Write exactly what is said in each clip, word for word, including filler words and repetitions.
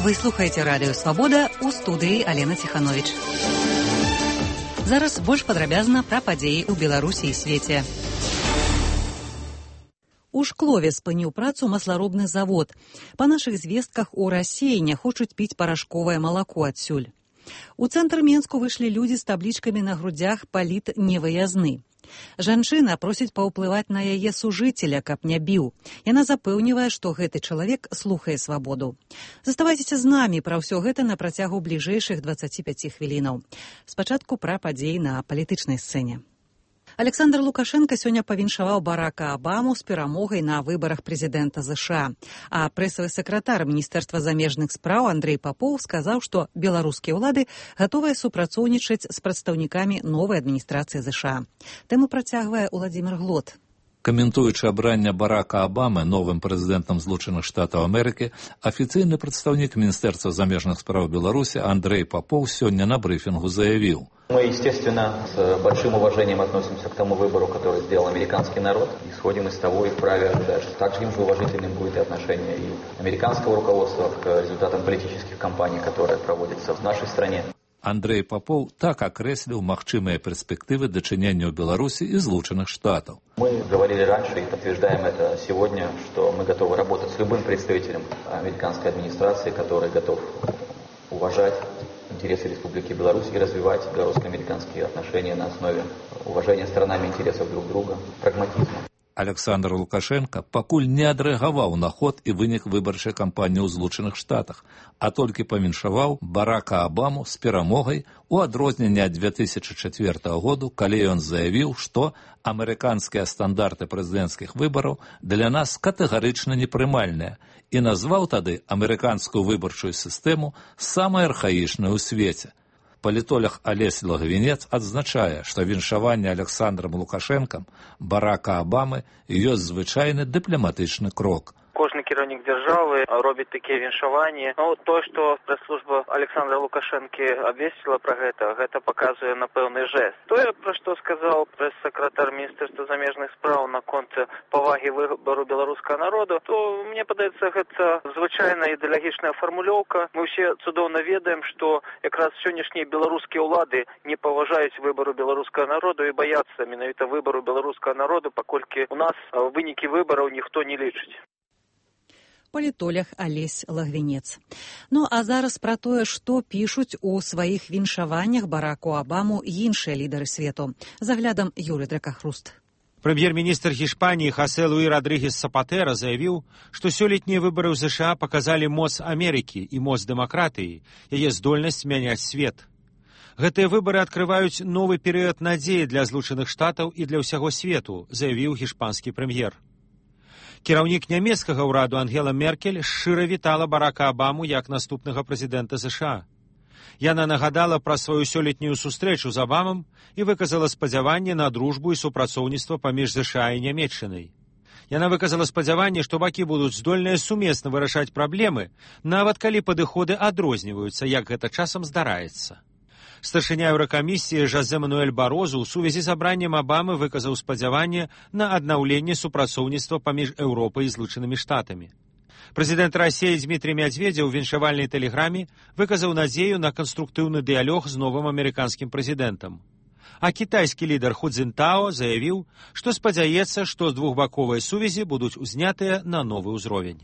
Вы слухаеце радыё «Свабода», у студыі Алена Ціхановіч. Зараз больш падрабязна пра падзеі ў Беларусі і свеце. У Шклове спыніў працу масларобны завод. Па нашых звестках у Расіі не хочуць піць парашковае малако адсюль. У цэнтр Менску выйшлі людзі з таблічкамі на грудзях «Паліт невыязны». Жанчына просіць паўплываць на яе сужыцеля, каб не біў. Яна запэўнівае, што гэты чалавек слухае свабоду. Заставайцеся з намі пра ўсё гэта на працягу бліжэйшых дваццаці пяці хвілінаў. Спачатку пра падзеі на палітычнай сцэне. Александр Лукашенко сёння павіншаваў Барака Абаму з перамогай на выбарах прэзідэнта ЗША. А прэсавы сакратар Міністэрства замежных спраў Андрэй Папоў сказаў, што беларускія ўлады гатовыя супрацоўнічаць з прадстаўнікамі новай адміністрацыі ЗША. Тэму працягвае Уладзімір Глот. Каментуючы абранне Барака Абамы новым прэзідэнтам Злучаных Штатаў Амерыкі, афіцыйны прадстаўнік Міністэрства замежных спраў Беларусі Андрэй Папоў сёння на брифінгу заявіў: Мы, естественно, с большим уважением относимся к тому выбору, который сделал американский народ. Исходим из того и вправе ожидать, что также же уважительным будет и отношение и американского руководства к результатам политических кампаний, которые проводятся в нашей стране. Андрэй Папоў так акрэсліў магчымыя перспектывы дачынення ў Беларусі і Злучаных Штатаў. Мы говорили раньше и подтверждаем это сегодня, что мы готовы работать с любым представителем американской администрации, который готов уважать интересы Республики Беларусь и развивать белорусско-американские отношения на основе уважения сторонами интересов друг друга, прагматизма. Александр Лукашенко пакуль не адрэагаваў на ход і вынік выбарчай кампаніі ў Злучаных Штатах, а толькі павіншаваў Барака Абаму з перамогай у адрозненне ад две тысячы чацвёртага году, калі ён заявіў, што амерыканскія стандарты прэзідэнцкіх выбараў для нас катэгарычна непрымальныя і назваў тады амерыканскую выбарчую сістэму самай архаічнай у свеце. Палітолог Алесь Лагвінец адзначае, што віншаванне Александрам Лукашэнкам Барака Абамы ёсць звычайны дыпламатычны крок. Кожны кіраўнік дзяржавы робіць такія віншаванні. Ну, то, што прэс-служба Александра Лукашэнкі абвесціла пра гэта, гэта паказвае на пэўны жэст. Тое, пра што сказаў прэс-сакратар Міністэрства замежных спраў наконт павагі выбару беларускага народу, то мне падаецца, гэта звычайная ідэалагічная фармулёўка. Мы ўсе цудоўна ведаем, што якраз сённяшнія беларускія ўлады не паважаюць выбару беларускага народу і баяцца менавіта выбару беларускага народу, паколькі у нас вынікі выбараў ніхто не лічыць. Палітолог Алесь Лагвінец. Ну, а зараз пра тое, што пішуць у сваіх віншаваннях Бараку Абаму іншыя лідары свету. Заглядам Юрый Дракахруст. Прэм'ер-міністр Гішпаніі Хосе Луі Родригес Сапатэра заявіў, што сёлетнія выбары ў ЗША паказалі моц Амерыкі і моц дэмакратыі, яе здольнасць мяняць свет. Гэтыя выбары адкрываюць новы перыяд надзеі для Злучаных Штатаў і для ўсяго свету, заявіў гішпанскі прэм'ер. Кіраўнік нямецкага ўраду Ангела Меркель шчыра вітала Барака Абаму як наступнага прэзідэнта ЗША. Яна нагадала пра сваю сёлетнюю сустрэчу з Абамам і выказала спадзяванне на дружбу і супрацоўніцтва паміж ЗША і Нямецчынай. Яна выказала спадзяванне, што бакі будуць здольныя сумесна вырашаць праблемы, нават калі падыходы адрозніваюцца, як гэта часам здараецца. Старшыня Еўракамісіі Жозе Мануэль Барозу ў сувязі з абраннем Абамы выказаў спадзяванне на аднаўленне супрацоўніцтва паміж Еўропай і Злучанымі Штатамі. Прэзідэнт Расіі Дмітрый Мядзведзеў у віншавальнай тэлеграме выказаў надзею на канструктыўны дыялог з новым амерыканскім прэзідэнтам. А кітайскі лідар Ху Цзінтао заявіў, што спадзяецца, што двухбаковыя сувязі будуць узнятыя на новы ўзровень.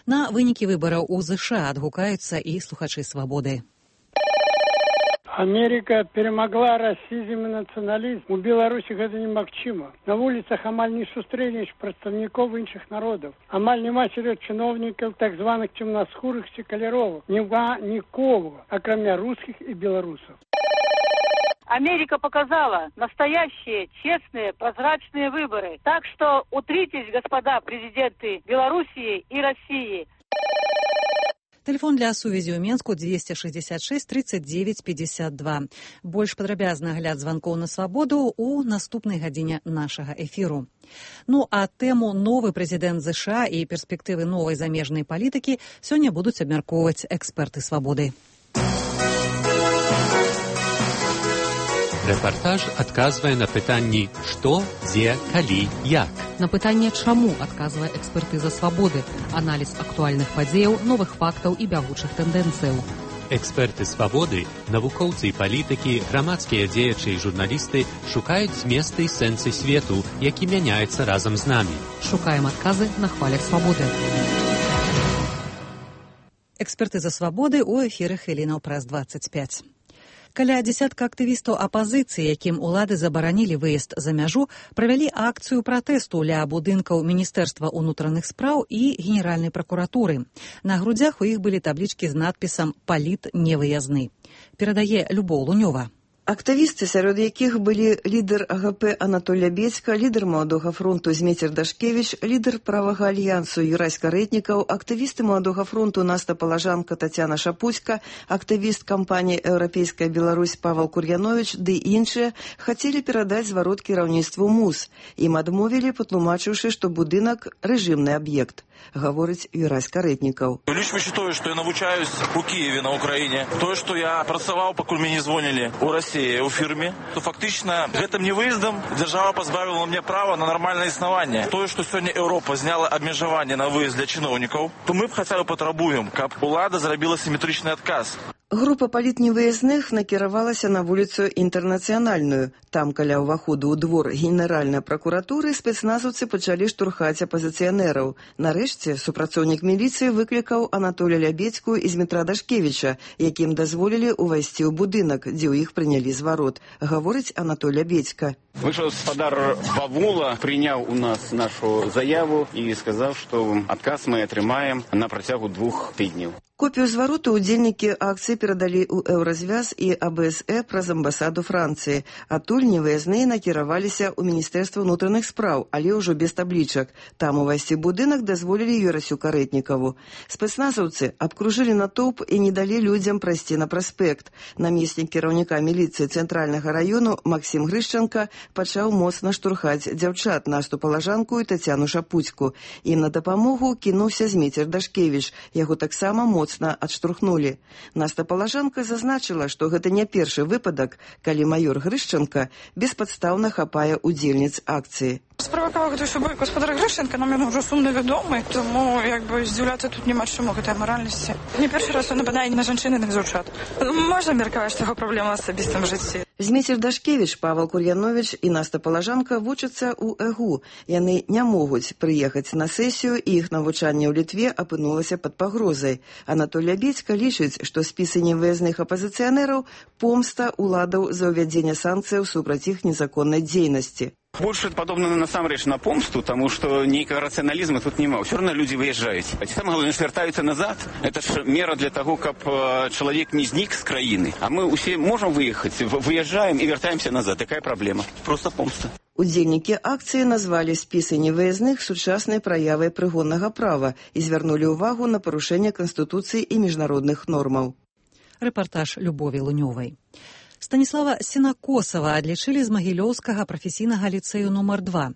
На вынікі выбараў у ЗША адгукаюцца і слухачы «Свабоды». Америка перемогла расизм и национализм. У Беларуси это немагчыма. На улицах амаль не сустрэнеш прадстаўнікоў іншых народаў. Амаль нема сярод чыноўнікаў так званых цемнаскурых ці каляровых. Няма нікого, акрамя русских и белорусов. Америка показала настоящие, честные, прозрачные выборы. Так что утритесь, господа президенты Белоруссии и России. Телефон для сувязі ў Менску двести шестьдесят шесть тридцать девять пятьдесят два. Больш падрабязны агляд званкоў на свабоду ў наступнай гадзіне нашага эфіру. Ну, а тэму новы прэзідэнт ЗША і перспектывы новай замежнай палітыкі сёння будуць абмяркоўваць эксперты «Свабоды». Рэпартаж адказвае на пытанні «Што, дзе, калі, як?». На пытанне, чаму, адказвае экспертыза «Свабоды», аналіз актуальных падзеяў, новых фактаў і бягучых тэндэнцыяў. Эксперты «Свабоды», навукоўцы і палітыкі, грамадскія дзеячы і журналісты шукаюць зместы і сэнсы свету, які мяняецца разам з намі. Шукаем адказы на хвалях «Свабоды». Экспертыза «Свабоды» у эфіры Хвілінаў праз дваццаць пяць. Каля дзесятка актывістаў апазіцыі, якім улады забаранілі выезд за мяжу, правялі акцыю пратэсту ля будынкаў Міністэрства ўнутраных спраў і Генеральнай пракуратуры. На грудзях у іх былі таблічкі з надпісам «Паліт невыязны». Перадае Любоў Лунёва. Актывісты, сярод якіх былі лідар АГП Анатоль Лябедзька, лідар Маладога фронту Змейцер Дашкевіч, лідар правага альянсу Юрась Карэтнікаў, актывісты Маладога фронту Наста Палажанка, Тацяна Шапуцька, актывіст кампаніі «Еўрапейская Беларусь» Павел Кур'яновіч ды іншыя хацелі перадаць зварот кіраўніцтву МУЗ. Ім адмовілі, патлумачыўшы, што будынак – рэжымны аб'ект, гаворыць Юрась Карэтнікаў. Лично считаю, что я навучаюсь у Киеве на Украине. То, что я працаваў, пакуль мне не звонили у России, у фірме, то фактично гэтым невыездом держава позбавила мне права на нормальное існаванне. То, что сегодня Европа зняла абмежаванне на выезд для чиновников, то мы б хотя бы патрабуем, каб улада зрабіла симметричный отказ. Група палітневыязных накіравалася на вуліцу Інтэрнацыянальную. Там, каля ўваходу ў двор Генеральнай пракуратуры, спецназаўцы пачалі штурхаць апазіцыянераў. Нарэшце, супрацоўнік міліцыі выклікаў Анатоля Лябедзьку і Змітра Дашкевіча, якім дазволілі ўвайсці ў будынак, дзе ў іх прынялі зварот, гаворыць Анатоль Лябедзька. Вышел спадар Бавула, прыняў у нас нашу заяву і сказаў, што адказ мы атрымаем на працягу двух тыдняў. Копію звароту удзельнікі акцыі перадалі ў Еўразвяз і А Б С Э праз амбасаду Францыі. Адтуль невыязныя накіраваліся ў Міністэрства ўнутраных спраў, але ўжо без таблічак. Там увайсці будынак дазволілі Юрасю Карэтнікаву. Спецназаўцы абкружылі натоўп і не далі людзям прайсці на праспект. Намеснік кіраўніка міліцыі цэнтральнага раёну Максім Грышчанка пачаў моцна штурхаць дзяўчат Насту Палажанку і Тацяну Шапуцьку. Ім на дапамогу кінуўся Змейцер Дашкевіч. Яго таксама моцна адштурхнулі. Наста Палажанка зазначыла, што гэта не першы выпадак, калі майор Грышчанка беспадстаўна хапае удзельніц акцыі. Справакаваў гэты сабой гаспадар Грышчанка, нам ён ужо сумна вядомы, тому як бы здзіўляцца тут няма чаму гэтай маральнасці. Не першы раз он нападае на жанчын і на дзяўчат. Можна меркаваць, што яго праблема ў асабістым жыцці. Змейцер Дашкевіч, Павел Кур'яновіч і Наста Палажанка вучацца ў Э Г У. Яны не могуць прыехаць на сесію, і іх навучанне ў Літве апынулася пад пагрозай. Анатоль Лябедзька лічыць, што спісы невыязных апазіцыянераў – помста уладаў за ўвядзенне санкцыяў супраць іх незаконнай дзейнасці. Больше падобна насамрэч на помсту, тому что нейкага рацыяналізму тут няма. Ўсё роўна людзі выязджаюць. Самае галоўнае, што вяртаюцца назад. Это ж мера для того, каб чалавек не знік з краіны. А мы ўсе можам выехаць, выязджаем і вяртаемся назад. Такая праблема. Просто помста. Удзельнікі акцыі назвалі спісы невыязных сучаснай праявай прыгоннага права і звярнулі ўвагу на парушэнне Канстытуцыі і міжнародных нормаў. Рэпартаж Любові Лунёвай. Станіслава Сенакосава адлічылі з Магілёўскага прафесійнага ліцэю нумар два.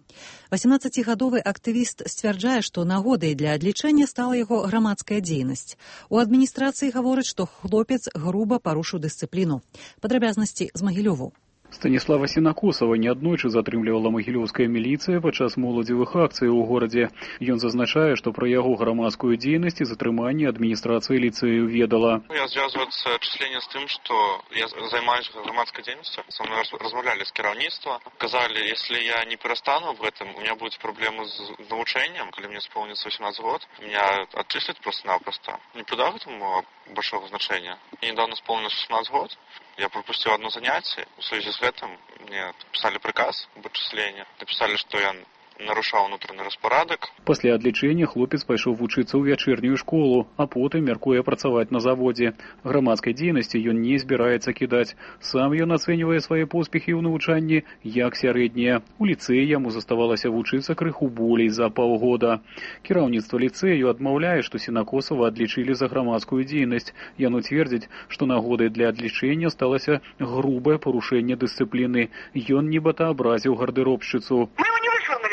васемнаццацігадовы актывіст сцвярджае, што нагодай для адлічэння стала яго грамадская дзейнасць. У адміністрацыі гавораць, што хлопец груба парушыў дысцыпліну. Падрабязнасці з Магілёву. Станіслава Сенакосава неаднойчы затрымлівала магілёўская міліцыя падчас моладзевых акцый у горадзе. Ён зазначае, што пра яго грамадскую дзейнасць і затрыманне адміністрацыя ліцэю ведала. Я звязваецца числение з тым, што я займаюся грамадскай дзейнасцю. Со мной размаўлялі з кіраўніцтва. Казалі, если я не перастану в этом, у меня будут проблемы з навучэннем. Калі мне исполнится восемнадцать год, меня отчислят просто-напросто. Не придав этому большого значения. Мне недавно исполнилось шестнадцать год. Я пропустил одно занятие. В связи с этим мне написали приказ об отчислении. Написали, что я нарушаў унутраны распарадак. Пасля адлічэння хлопец пайшоў вучыцца ў вячэрнюю школу, а потым мяркуе працаваць на заводзе. Грамадскай дзейнасці ён не збіраецца кідаць. Сам ён ацэньвае свае поспехі ў навучанні як сярэднія. У ліцэі яму заставалася вучыцца крыху болей за паўгода. Кіраўніцтва ліцэю адмаўляе, што Сенакосава адлічылі за грамадскую дзейнасць. Яно цвердзіць, што нагодай для адлічэння сталася грубае парушэнне дысцыпліны. Ён нібыта абразіў гардыробшчыцу.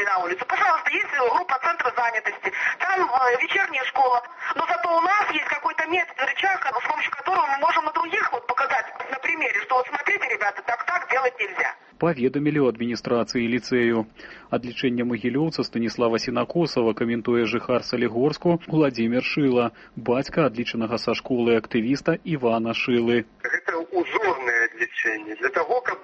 На улицу. Пожалуйста, есть группа центра занятости, там э, вечерняя школа, но зато у нас есть какой-то метод, рычаг, с помощью которого мы можем на других вот показать на примере, что вот смотрите, ребята, так-так делать нельзя. паведамілі ў адміністрацыі ліцэю. Адлічэнне магілёўца Станіслава Сенакосава каментуе жыхар Салігорску Владзімір Шыла, бацька адлічанага са школы актывіста Івана Шылы. Гэта узорнае адлічэнне для таго, каб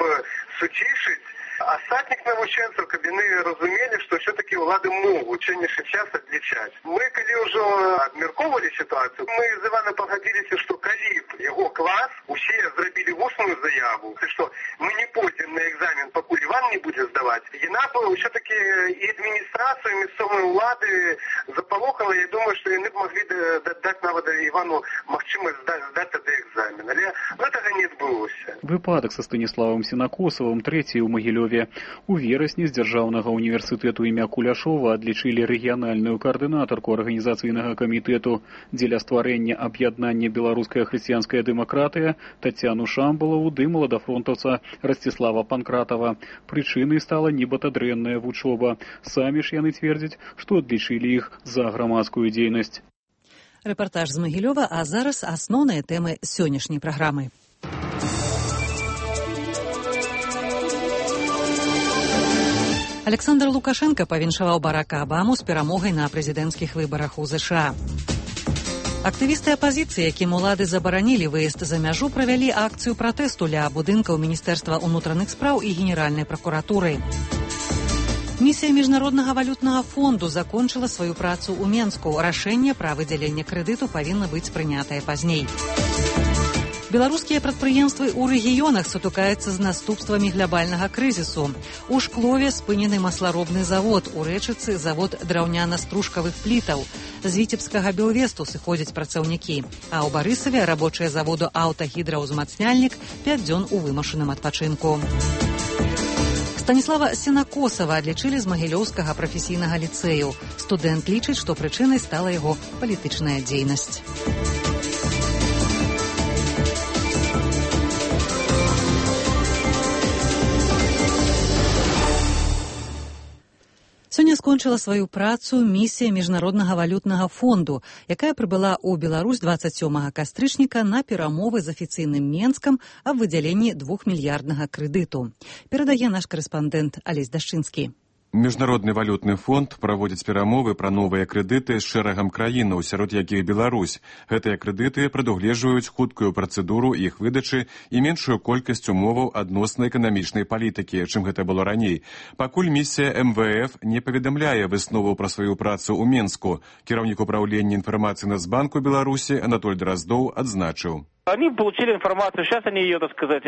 суцішыць астатніх навучэнцаў, каб яны разумелі, што все-таки ўлады могуць сённяшні час адлічаць. Мы, калі ўжо абмяркоўвалі сітуацыю, мы з Іваном пагадзіліся, што калі б яго клас усе зрабілі вусную заяву, што мы не пойдзем на экзамен, пакуль Іван не будзе здаваць, яна б все-таки і адміністрацыю, і мясцовыя ўлады запалохала. Я думаю, што яны б маглі даць нават Івану магчымасць здаць тады экзамен. Але гэтага не адбылося. Выпадак са Станіславам Сенакосавым трэці ў Магілёве. У верасні з дзяржаўнага універсітэту імя Куляшова адлічылі рэгіянальную каардынатарку арганізацыйнага камітэту дзеля стварэння аб'яднання беларуская хрысціянская дэмакратыя Тацяну Шамбалаву ды маладафронтаўца Расціслава Панкратава. Прычынай стала нібыта дрэнная вучоба. Самі ж яны цвердзяць, што адлічылі іх за грамадскую дзейнасць. Рэпартаж з Магілёва, а зараз асноўныя тэмы сённяшняй праграмы. Александр Лукашенко павіншаваў Барака Абаму з перамогай на прэзідэнцкіх выбарах у ЗША. Актывісты апазіцыі, якім улады забаранілі выезд за мяжу, правялі акцыю пратэсту ля будынкаў Міністэрства ўнутраных спраў і Генеральнай пракуратуры. Місія Міжнароднага валютнага фонду закончыла сваю працу ў Менску. Рашэнне пра выдзяленне крэдыту павінна быць прынятае пазней. Беларускія прадпрыемствы ў рэгіёнах сутыкаюцца з наступствамі глябальнага крызісу. У Шклове спынены масларобны завод, у Рэчыцы завод драўняна-стружкавых плітаў. З Віцебскага Белвесту сыходзяць працаўнікі, а ў Барысаве рабочыя заводу аўтагідраўзмацняльнік пяць дзён у вымушаным адпачынку. Станіслава Сенакосава адлічылі з Магілёўскага прафесійнага ліцэю. Студэнт лічыць, што прычынай стала яго палітычная дзейнасць. Сёння скончыла сваю працу місія Міжнароднага валютнага фонду, якая прыбыла ў Беларусь дваццаць сёмага кастрычніка на перамовы з афіцыйным Менскам аб выдзяленні двухмільярднага крэдыту. Перадае наш корэспандэнт Алесь Дашчынскі. Міжнародны валютны фонд праводзіць перамовы пра новыя крэдыты з шэрагам краінаў, сярод якіх Беларусь. Гэтыя крэдыты прадугледжваюць хуткую працэдуру іх выдачы і меншую колькасць умоваў адносна эканамічнай палітыкі, чым гэта было раней. Пакуль місія эм вэ эф не паведамляе выснову пра сваю працу ў Менску, кіраўнік управлення інфармацыі Нацбанку Беларусі Анатоль Дроздоў адзначыў. Они получили информацию, сейчас они ее, так сказать,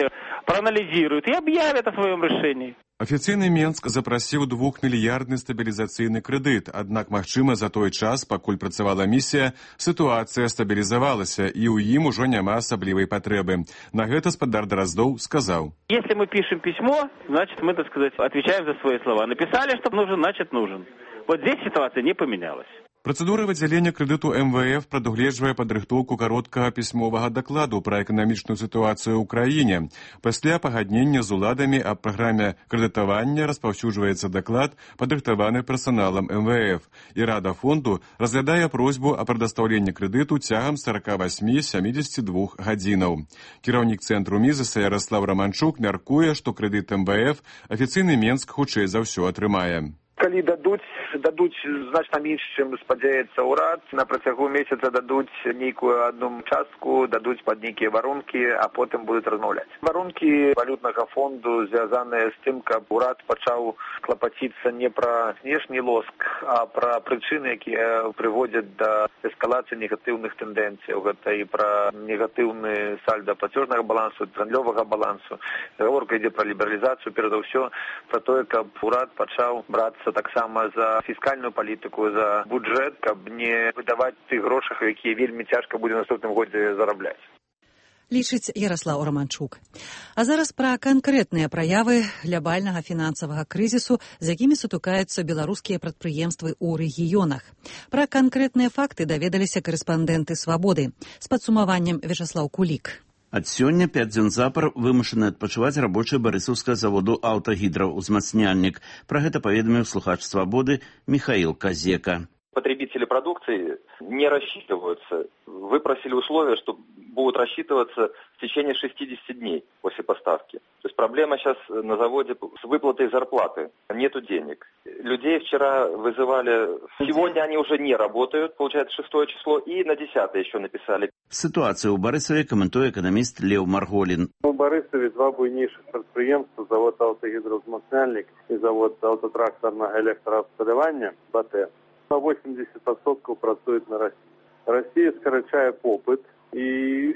проанализируют и объявят о своем решении. Афіцыйны Менск запрасіў двухмільярдны стабілізацыйны крэдыт, аднак, магчыма, за той час, пакуль працавала місія, сітуацыя стабілізавалася, і ў ім ужо няма асаблівай патрэбы. На гэта спадар Дроздоў сказаў. Если мы пишем письмо, значит, мы, так сказать, отвечаем за свои слова. Написали, что нужен, значит, нужен. Вот здесь ситуация не поменялась. Працэдура выдзялення крэдыту эм вэ эф прадугледжвае падрыхтоўку кароткага пісьмовага дакладу пра эканамічную сітуацыю ў краіне. Пасля пагаднення з уладамі аб праграме крэдытавання распаўсюджваецца даклад, падрыхтаваны персаналам эм вэ эф, і Рада фонду разглядае просьбу о прадастаўленні крэдыту цягам сорок восемь - семьдесят два гадзінаў. Кіраўнік цэнтру Мізеса Ярослав Романчук мяркуе, што крэдыт эм вэ эф афіцыйны Менск хутчэй за ўсё атрымае. Калі дадуць, дадуць значна менш, чым спадзяецца ўрад, на працягу месяца дадуць нейкую адну частку, дадуць пад нейкія варункі, а потым будуць размаўляць. Варункі валютнага фонду звязаныя з тым, каб урад пачаў клапаціцца не пра знешні лоск, а пра прычыны, якія прыводзяць да эскалацыі негатыўных тэндэнцыяў. Гэта і пра негатыўны сальда плацёжнага балансу, гандлёвага балансу. Гаворка ідзе пра лібералізацыю, перад усё пра тое, каб урад пачаў брацца таксама за фіскальную палітыку, за бюджэт, каб не выдаваць тых грошах, якія вельмі цяжка будзе ў наступным годзе зарабляць. Лічыць Ярослаў Романчук. А зараз пра канкрэтныя праявы глябальнага фінансавага крызісу, з якімі сутыкаюцца беларускія прадпрыемствы ў рэгіёнах. Пра канкрэтныя факты даведаліся корэспандэнты «Свабоды». З падсумаваннем Вячаслаў Кулік. Ад сёння пяць дзён запар вымушаны адпачываць рабочыя барысаўскага заводу «Аўтагідраўзмацняльнік». Пра гэта паведаміў слухач «Свабоды» Міхаіл Казека. потребители продукции не рассчитываются. Вы просили условия, что будут рассчитываться в течение шестидесяти дней после поставки. То есть проблема сейчас на заводе с выплатой зарплаты. Нету денег. Людей вчера вызывали, сегодня они уже не работают, получается шестое число, и на десятое еще написали. Ситуацію у Борисові коментує економіст Лев Марголін. У Борисові два буйніших підприємства, завод «Автогідроузмацняльник» і завод автотракторного електрообсталювання «БАТ», на вісімдесят відсотків працюють на Росії. Росія скорочає попит, і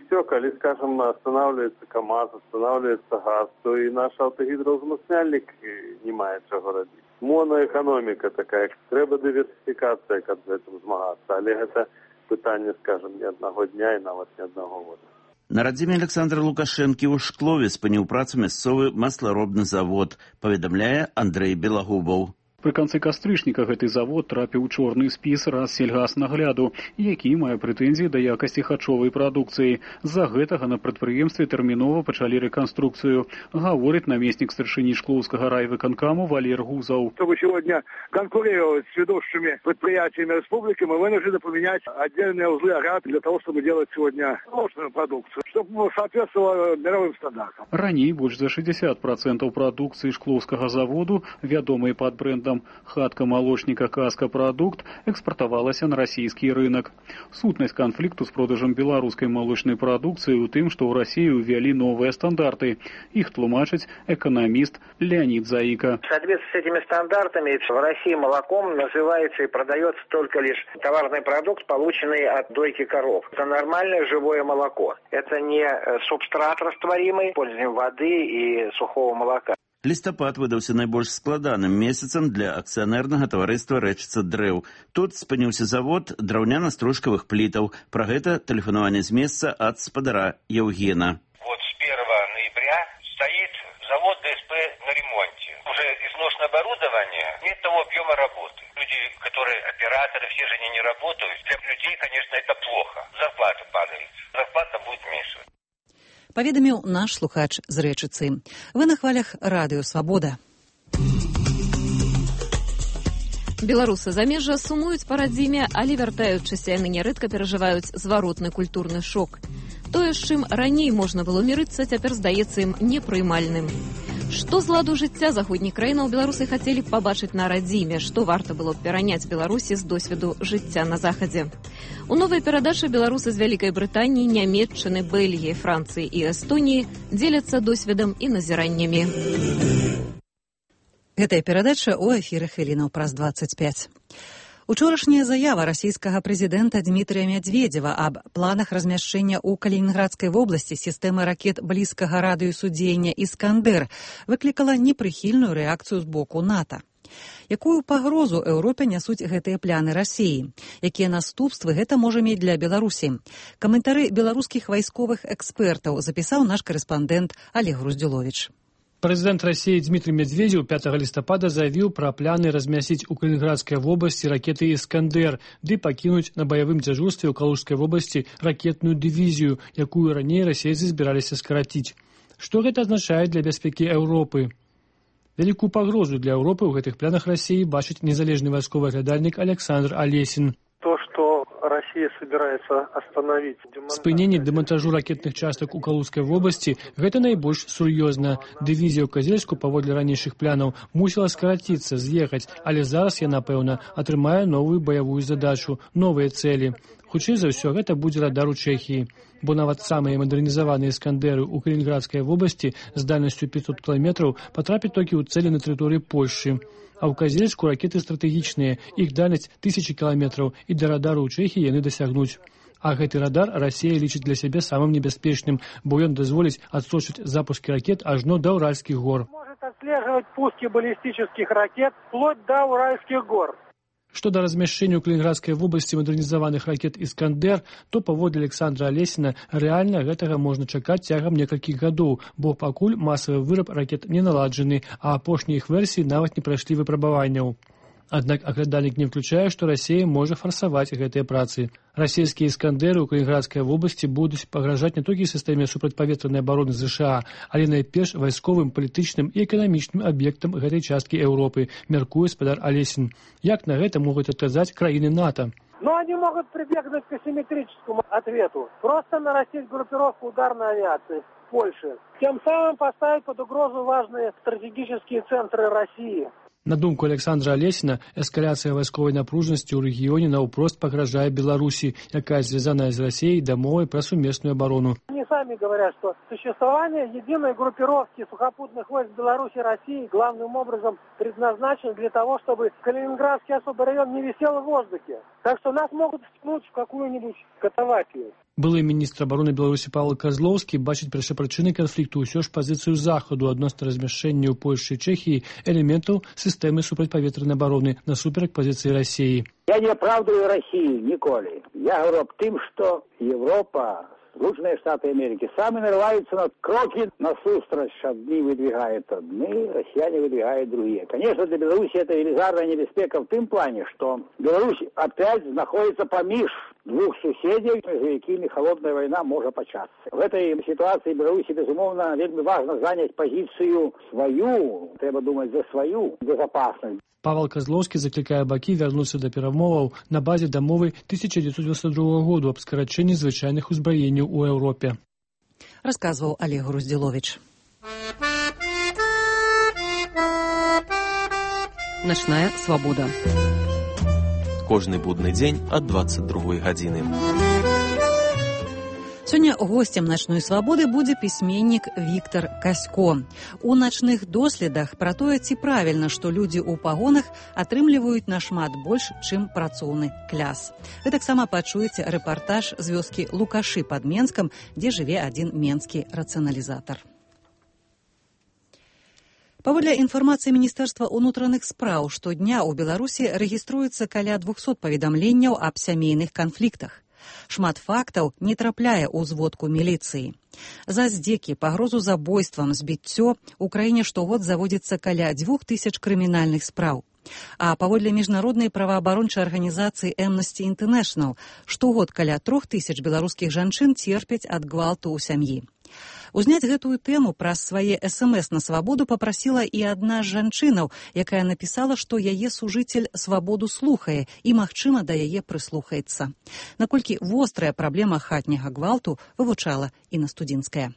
все, коли, скажем, останавливается КАМАЗ, останавливается газ, то і наш автогідроузмацняльник не має чого робити. Моноекономіка така, треба диверсифікація, як з цим змагатися, але це питання, скажем, не одного дня і навіть не одного року. На радзіме Александра Лукашэнкі ў Шклове спыніў працу мясцовы масларобны завод, паведамляе Андрэй Белагубаў. Пры канцы кастрычніка гэты завод трапіў у чорны спіс Рассельгаснагляду, які мае прэтэнзіі да якасці харчовай прадукцыі. З-за гэтага на прадпрыемстве тэрмінова пачалі рэканструкцыю, гаворыць намеснік старшыні Шклоўскага райвыканкаму Валер Гузаў. Чтобы сегодня конкурировать с ведущими предприятиями республики, мы вынуждены поменять отдельные узлы АГА для того, чтобы делать сегодня ложную продукцию, чтобы соответствовало мировым стандартам. Раней больш за шестьдесят процентов прадукцыі Шклоўскага заводу, вядомай пад брэндам «Хатка молочника Каска Продукт», экспортавалася на расійскі рынок. Сутнасць канфлікту з продажам беларускай молочнай прадукцыі ў тым, што ў Расіі ўвялі новыя стандарты. Іх тлумачыць экономист Леонид Заика. В соответствии с этими стандартами в России молоком называется и продается только лишь товарный продукт, полученный от дойки коров. Это нормальное живое молоко. Это не субстрат растворимый, использованием воды и сухого молока. Лістапад выдаўся найбольш складаным месяцам для акцыянернага таварыства «Рэчыца дрэў». Тут спыніўся завод драўняна-стружкавых плітаў. Пра гэта тэлефанаванне з месца ад спадара Евгена. Вот с первого ноября стоит завод ДСП на ремонте. Уже изношенное оборудование, нет того объема работы. Люди, которые операторы, все же они не работают. Для людей, конечно, это плохо. Зарплата падает. Зарплата будет меньше. Паведаміў наш слухач з Рэчыцы. Вы на хвалях радыё «Свабода». Беларусы замежжа сумуюць па радзіме, але вяртаючыся яны нярэдка перажываюць зваротны культурны шок. Тое, з чым раней можна было мірыцца, цяпер здаецца ім непрымальным. Што з ладу жыцця заходніх краінаў беларусы хацелі б пабачыць на радзіме, што варта было б пераняць Беларусі з досведу жыцця на захадзе. У новай перадачы беларусы з Вялікай Брытаніі, Нямецчыны, Бельгіі, Францыі і Эстоніі дзеляцца досведам і назіраннямі. Гэтая перадача ў эфіры хвілінаў праз дваццаць пяць. Учорашняя заява расійскага прэзідэнта Дмітрыя Мядзведзева аб планах размяшчэння ў Калінінградскай вобласці сістэмы ракет блізкага радыусу дзеяння «Іскандэр» выклікала непрыхільную рэакцыю з боку НАТО. Якую пагрозу Еўропе нясуць гэтыя пляны Расіі? Якія наступствы гэта можа мець для Беларусі? Каментары беларускіх вайсковых экспертаў запісаў наш карэспандэнт Олег Груздзюловіч. Прэзідэнт Расіі Дмітрый Медведзеў пятага лістапада заявіў пра планы размясціць у Калінінградскай вобласці ракеты «Іскандэр» ды пакінуць на баявым дзяжурстве ў Калужскай вобласці ракетную дывізію, якую раней расейцы збіраліся скараціць. Што гэта азначае для бяспекі Еўропы? Вялікую пагрозу для Еўропы ў гэтых планах Расіі бачыць незалежны вайсковы аглядальнік Александр Алесін. То, что Россия собирается остановить спыненне дэмантажу ракетных частак у Калужскай вобласці – гэта найбольш сур'ёзна. Дывізія ў Казельску, паводле ранейшых планаў, мусіла скараціцца, з'ехаць, але зараз яна, пэўна, атрымае новую баявую задачу, новыя цэлі. Хутчэй за ўсё, гэта будзе радар у Чэхіі, бо нават самыя мадэрнізаваныя «Іскандэры» ў Калінінградскай вобласці з дальнасцю пятьсот кіламетраў патрапяць толькі ў цэлі на тэрыторыі Польшчы. А ў Казельску ракеты стратэгічныя, іх дальнасць тысячы кіламетраў, і да радару ў Чэхіі яны дасягнуць. А гэты радар Расія лічыць для сябе самым небяспечным, бо ён дазволіць адсочыць запускі ракет ажно да Уральскіх гор. Может отслеживать пуски баллистических ракет вплоть до Уральских гор. Што да размяшчэння ў Калінінградскай вобласці мадэрнізаваных ракет «Іскандэр», то паводле Александра Алесіна рэальна гэтага можна чакаць цягам некалькіх гадоў, бо пакуль масавы выраб ракет не наладжаны, а апошнія іх версіі нават не прайшлі выпрабаванняў. Аднак аглядальнік не ўключае, што Расія можа фарсаваць гэтыя працы. Расійскія іскандэры ў Калінінградскай вобласці будуць пагражаць не толькі сістэме супрацьпаветранай абароны ЗША, але найперш вайсковым, палітычным і эканамічным аб'ектам гэтай часткі Еўропы, мяркуе спадар Алесін. Як на гэта могуць адказаць краіны НАТО? Но они могут прибегнуть к асимметрическому ответу. Просто нарастить группировку ударной авиации в Польше. Тем самым поставить под угрозу важные стратегические центры России. На думку Александра Алесіна, эскаляцыя вайсковай напружанасці ў рэгіёне наўпрост пагражае Беларусі, якая звязаная з Расіяй дамовай пра сумесную абарону. Они сами говорят, что существование единой группировки сухопутных войск Беларуси и России главным образом предназначено для того, чтобы Калининградский особый район не висел в воздухе. Так что нас могут втянуть в какую-нибудь катавасию. Былы міністр абароны Беларусі Павел Козловскі бачыць першапрычынай канфлікту ўсё ж пазіцыю Захаду адносна размяшчэння ў Польшчы і Чэхіі элементаў сістэмы супрацьпаветранай абароны насуперак пазіцыі Расіі. Я не оправдываю Россию ніколі. Я говорю об тым, что Европа, Соединенные Штаты Америки сами нарываются на кроки насустрач. Одни выдвигают одни, россияне выдвигают другие. Конечно, для Беларуси это велизарная небезпека в том плане, что Беларусь опять находится поміж двух соседей, между якими холодная война может початься. В этой ситуации Беларуси, безумовно, вельми важно занять позицию свою, треба думать за свою безопасность. Павел Козловскі заклікае бакі вярнуцца да перамоваў на базе дамовы тысяча девятьсот девяносто другого году аб скарачэнні звычайных узбраенняў у Еўропе. Расказваў Олег Груздзіловіч. Начная свабода. Кожны будны дзень ад двадцать другой гадзіны. Сёння гостем начной свабоды будзе пісьменнік Віктор Касько. У начных доследах пра тое, ці правільна, што людзі ў пагонах атрымліваюць нашмат больш, чым працоўны кляс. Вы таксама пачуеце рэпартаж з вёскі Лукашы пад Менскам, дзе жыве адзін менскі рацыяналізатар. Паводле інфармацыі Міністэрства ўнутраных спраў, штодня ў Беларусі рэгіструецца каля двухсот паведамленняў аб сямейных канфліктах. Шмат фактаў не трапляе ў зводку міліцыі. За здзекі, пагрозу забойствам, збіццё у краіне штогод заводзіцца каля дзвюх тысяч крымінальных спраў. А паводле міжнароднай праваабарончай арганізацыі Amnesty International штогод каля трох тысяч беларускіх жанчын церпяць ад гвалту ў сям'і. Узняць гэтую тэму праз свае эс эм эс на свабоду папрасіла і адна з жанчынаў, якая напісала, што яе сужыцель свабоду слухае і, магчыма, да яе прыслухаецца. Наколькі вострая праблема хатняга гвалту вывучала Інна Студзінская.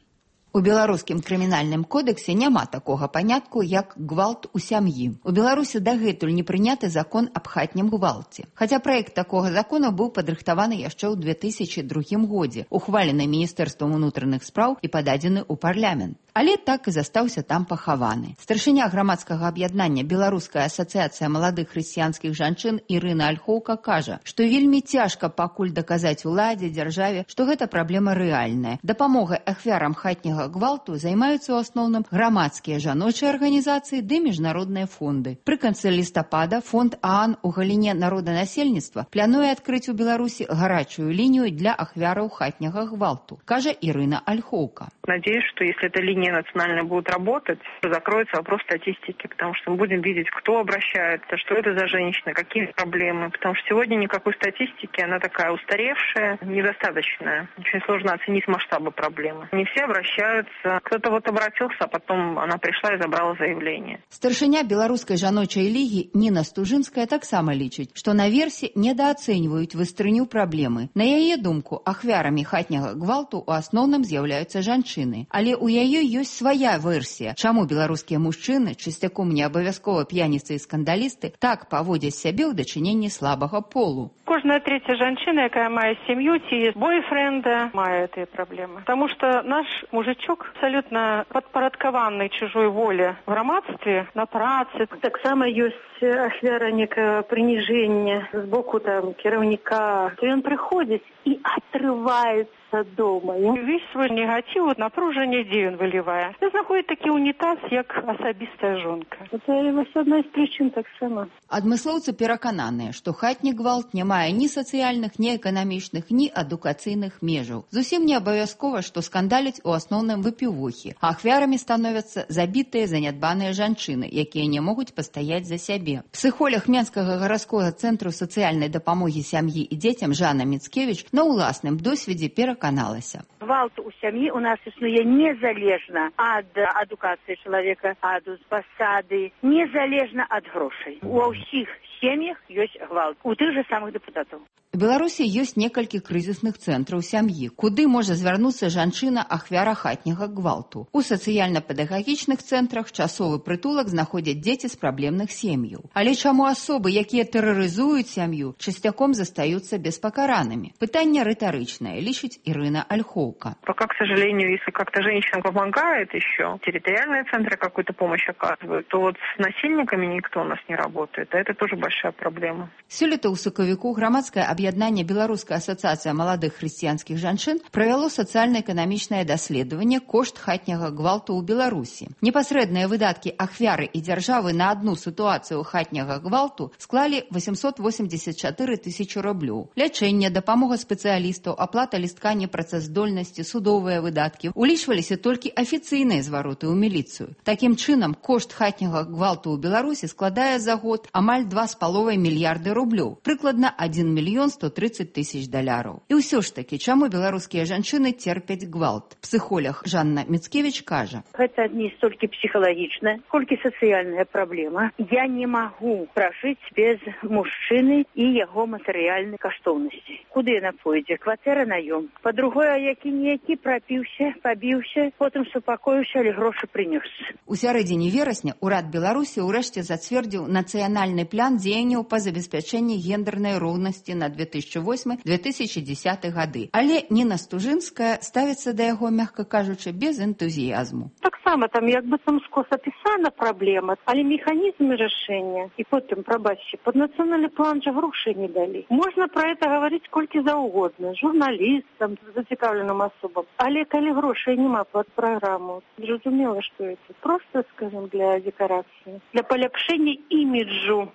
У беларускім крымінальным кодексе няма такога панятку, як гвалт у сям'і. У Беларусі дагэтуль не прыняты закон аб хатнім гвалце. Хаця праект такога закона быў падрыхтаваны яшчэ ў две тысячы другім годзе, ухвалены Міністэрствам унутраных спраў і пададзены ў парламент. Але так і застаўся там пахаваны. Старшыня грамадскага аб'яднання Беларуская асацыяцыя маладых хрысціянскіх жанчын Ірына Альхоўка кажа, што вельмі цяжка пакуль даказаць уладзе, дзяржаве, што гэта праблема рэальная. Дапамогай ахвярам хатняга гвалту займаюцца ў асноўным грамадскія жаночыя арганізацыі ды міжнародныя фонды. Пры канцы лістапада фонд ААН у галіне народанасельніцтва плануе адкрыць у Беларусі гарачую лінію для ахвяраў хатняга гвалту, кажа Ірына Альхоўка. Надеюсь, что если эта линия национальная будет работать, то закроется вопрос статистики, потому что мы будем видеть, кто обращается, что это за женщина, какие проблемы. Потому что сегодня никакой статистики, она такая устаревшая, недостаточная. Очень сложно оценить масштабы проблемы. Не все обращаются. Кто-то вот обратился, а потом она пришла и забрала заявление. Старшыня беларускай жаночай лігі Ніна Стужынская таксама лічыць, што наверсе недаацэньваюць выстрыню праблемы. На яе думку, ахвярамі хатняга гвалту ў асноўным з'яўляюцца жанчыны. Але ў яе ёсць свая версія, чаму беларускія мужчыны, чысцяком не абавязкова п'яніцы і скандалісты, так паводзяць сябе ў дачыненні слабага полу. Кожная третья жанчына, якая мае сям'ю, ці бойфренда, мае гэтыя праблемы. Таму што наш мужичок абсалютна падпарадкаваны чужой воле в грамадстве, на працы. Таксама ёсць ахвяра некае прыніжэння з боку там кіраўніка. Ён прыходзіць і атрываецца дома. Весь свой негатив, напружение, дзе ён вылівае. Ён знаходзіць такі унітаз, як асабістая жонка. Это одна з прычын таксама. Адмыслоўцы перакананыя, што хатні гвалт не мае ні сацыяльных, ні эканамічных, ні адукацыйных межаў. Зусім не абавязкова, што скандаліць у асноўным асноўным выпівохі, а ахвярамі становяцца забітыя занядбаныя жанчыны, якія не могуць пастаяць за сябе. Псіхолог Менскага гарадскога цэнтру сацыяльнай дапамогі сям'і і дзецям Жанна Міцкевіч на ўласным досведзе пераканалася. Гвалт у сям'і у нас існуе незалежна ад адукацыі чалавека, ад пасады, незалежна ад грошай. У ўсіх сем'ях ёсць гвалт, у тых жа самых дэпутатаў. У Беларусі ёсць некалькі крызісных цэнтраў сям'і, куды можа звярнуцца жанчына ахвяра хатняга гвалту. У сацыяльна-педагагічных цэнтрах часовы прытулак знаходзяць дзеці з праблемных сем'яў. Але чаму асобы, якія тэрарызуюць сям'ю, часцяком застаюцца беспакаранымі? Пытанне рытарычнае, лічыць Ірына Ольховка. Пока, к сожалению, если как-то женщина помогает еще, территориальные центры какую-то помощь оказывают, то вот с насильниками никто у нас не работает, а это тоже большая проблема. Сёлета ў сакавіку грамадскае аб'яднанне Беларуская асацыяцыя маладых хрысціянскіх жанчын правяло сацыяльна-эканамічнае даследаванне кошт хатняга гвалту ў Беларусі. Непасрэдныя выдаткі ахвяры і дзяржавы на адну сітуацыю хатняга гвалту склалі восемьсот восемьдесят четыре тысячи рублёў. Лячэнне, дапамога спецыялістаў, аплата лістка непрацаздольнасці, судовыя выдаткі улічваліся толькі афіцыйныя звароты ў міліцыю. Такім чынам, кошт хатняга гвалту ў Беларусі складае за год амаль два з паловай мільярды рублёў, прыкладна один мільён сто тридцать тысяч даляраў. І ўсё ж такі, чаму беларускія жанчыны терпяць гвалт? Псіхолог Жанна Міцкевіч кажа. Гэта не столькі псіхалагічная, колькі сацыяльная праблема. Я не магу пражыць без мужчыны і яго матэрыяльнай каштоўнасці. Куды яна пойдзе? Кватэра наём. Па-другое, які-ніякі прапіўся, пабіўся, потым супакоіўся, але грошы прынёс. У сярэдзіне верасня ўрад Беларусі ўрэшце зацвердзіў нацыянальны план дзеянняў па забеспячэнні гендернай роўнасці на две тысячи восьмы — две тысячи десятый гады. Але Ніна Стужынская ставіцца да яго, мякка кажучы, без энтузіязму. Таксама там як бы там скос апісана праблема, але механізмы рашэння і потым, прабачце, пад нацыянальны план жа грошай не далі. Можна пра гэта гаварыць колькі заўгодна, журналістам, зацікаўленым асобам. Але калі грошай няма пад праграму, зразумела, што это проста, скажем, для дэкарацыі, для паляпшэння іміджу.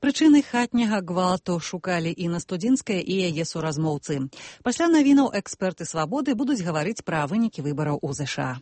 Прычыны хатняга гвалту шукалі Інна Студзінская і яе суразмоўцы. Пасля навінаў эксперты «Свабоды» будуць гаварыць пра вынікі выбараў у ЗША.